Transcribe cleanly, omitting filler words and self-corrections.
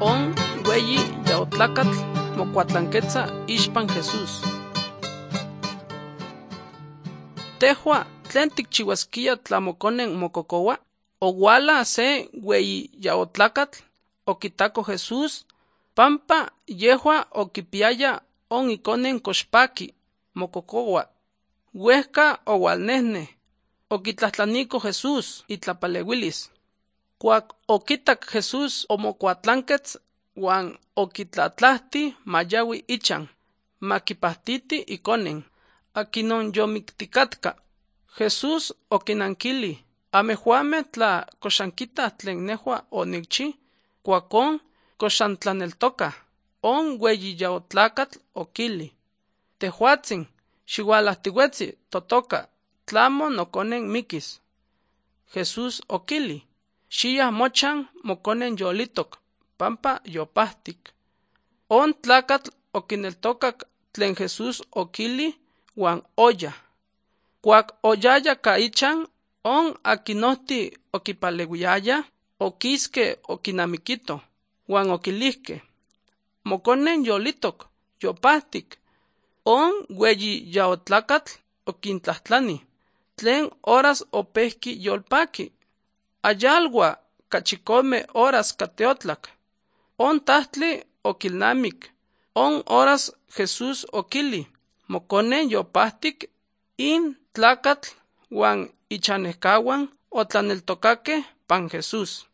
on weyi yaotlacatl mocuatlanquetza ixpan Jesús. Tehua tlen tikchiuasquia tlamoconen mococoua, owala se weyi yaotlacatl okitaco Jesús, pampa yehua okipiaya on iconen coxpaki mococoua. Huehca owalnehne, okitlahtlaniko Jesús itlapalewilis. Cuac okitac Jesús omocuatlanquetz huan okitlatlahti mayawi ichan, makipahtiti iconen, akinon yomicticatca. Jesús okinankili: amejuame tla coxanquita tlen nehua onicchi, cuacon coxantlaneltoca. On weyi yaotlacatl okili: tehuatzin, xiualahtiuetzi totoca, tlamo noconen miquis. Jesús okili: xiyah mochan moconen yolitoc, pampa yopahtic. On tlacatl oquineltocac tlen Jesús okili huan oya. Cuac oyaya ca ichan, on aquinohti okipalehuiaya oquisque oquinamiquito, huan oquilihque: moconen yolitoc, yopahtic. On weyi yaotlacatl oquintlahtlani: tlen horas opehqui yolpaqui. Ayalua cachicome horas cateotlac. On tahtli oquilnamic: on horas Jesús okili: moconen yopahtic. In tlacatl huan ichanehcahuan otlaneltocaque pan Jesús.